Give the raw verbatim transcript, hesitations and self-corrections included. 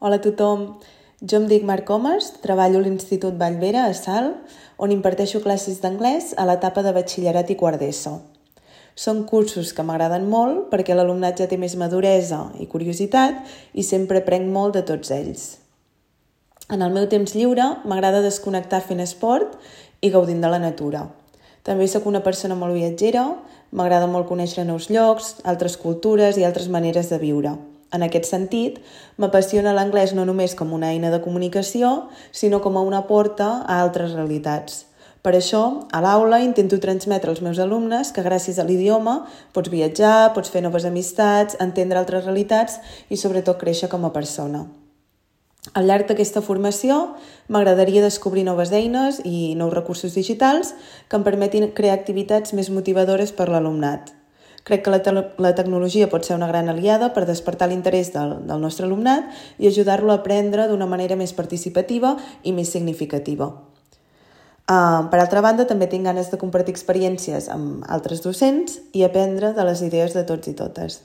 Hola a tothom, jo em dic Marc Comas, treballo a l'Institut Vallvera, a Salt, on imparteixo classes d'anglès a l'etapa de batxillerat i quart d'ESO. Són cursos que m'agraden molt perquè l'alumnat ja té més maduresa i curiositat i sempre aprenc molt de tots ells. En el meu temps lliure m'agrada desconnectar fent esport i gaudint de la natura. També sóc una persona molt viatgera, m'agrada molt conèixer nous llocs, altres cultures i altres maneres de viure. En aquest sentit, m'apassiona l'anglès no només com una eina de comunicació, sinó com a una porta a altres realitats. Per això, a l'aula intento transmetre als meus alumnes que gràcies a l'idioma pots viatjar, pots fer noves amistats, entendre altres realitats i sobretot créixer com a persona. Al llarg d'aquesta formació m'agradaria descobrir noves eines i nous recursos digitals que em permetin crear activitats més motivadores per l'alumnat. Crec que la, te- la tecnologia pot ser una gran aliada per despertar l'interès del, del nostre alumnat i ajudar-lo a aprendre d'una manera més participativa i més significativa. Uh, per altra banda, també tinc ganes de compartir experiències amb altres docents i aprendre de les idees de tots i totes.